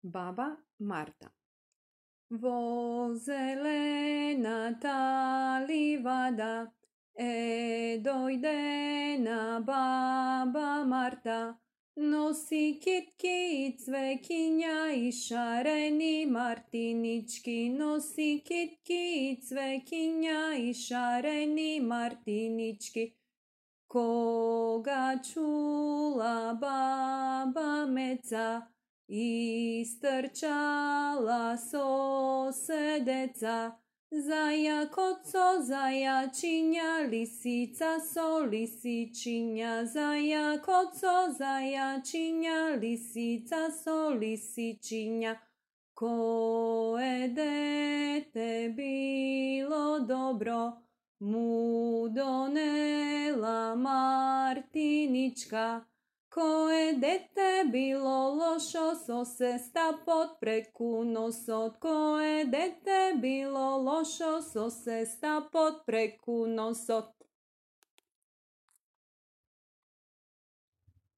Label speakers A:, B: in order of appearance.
A: Baba Marta. Vo zelena ta livada, dojdena baba Marta, nosi kitki cvekinja i šareni martinički, nosi kitki cvekinja i šareni martinički. Koga čula baba meca, istrčala sosedeca, zaja koco zajačinja, lisica so lisičinja, zaja koco zajačinja, lisica so lisičinja. Koje dete bilo dobro, mu donela Martinička. Koje dete bilo lošo, so se sta pod preku nosot. Koje dete bilo lošo, so se sta pod preku nosot.